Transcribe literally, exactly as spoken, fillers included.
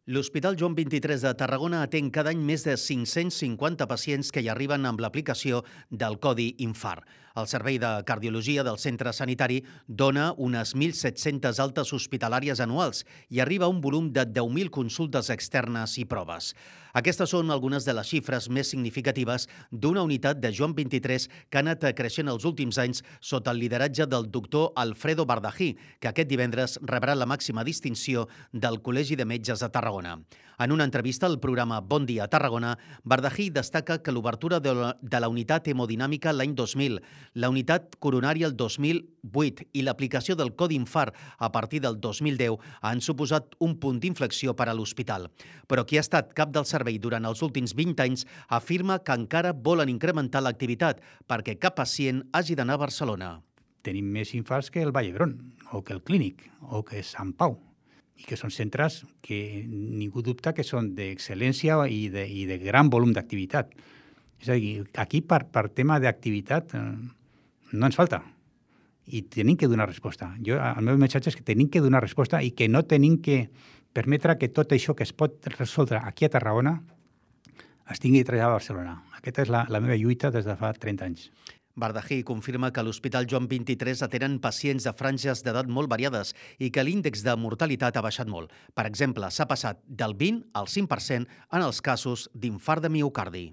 L'Hospital Joan vint-i-tres de Tarragona atén cada any més de cinc-cents cinquanta pacients que hi arriben amb l'aplicació del Codi Infart. El Servei de Cardiologia del centre sanitari dona unes mil set-centes altes hospitalàries anuals i arriba a un volum de deu mil consultes externes i proves. Aquestes són algunes de les xifres més significatives d'una unitat de Joan vint-i-tres que ha anat creixent els últims anys sota el lideratge del doctor Alfredo Bardají, que aquest divendres rebrà la màxima distinció del Col·legi de Metges de Tarragona. En una entrevista al programa Bon Dia Tarragona, Bardají destaca que l'obertura de la, de la unitat hemodinàmica l'any dos mil, la unitat coronària el dos mil vuit i l'aplicació del Codi Infart a partir del dos mil deu han suposat un punt d'inflexió per a l'hospital. Però qui ha estat cap del servei durant els últims vint anys afirma que encara volen incrementar l'activitat perquè cap pacient hagi d'anar a Barcelona. Tenim més infarts que el Vall d'Hebron, o que el Clínic, o que Sant Pau, i que són centres que ningú dubta que són d'excel·lència i de, i de gran volum d'activitat. És a dir, aquí per, per tema d'activitat eh, no ens falta i tenim que donar resposta. Jo, el meu missatge és que tenim que donar resposta i que no tenim que permetre que tot això que es pot resoldre aquí a Tarragona es tingui de traslladar a Barcelona. Aquesta és la, la meva lluita des de fa trenta anys. Bardají confirma que a l'Hospital Joan vint-i-tres atenen pacients de franges d'edat molt variades i que l'índex de mortalitat ha baixat molt. Per exemple, s'ha passat del vint al cinc per cent en els casos d'infart de miocardi.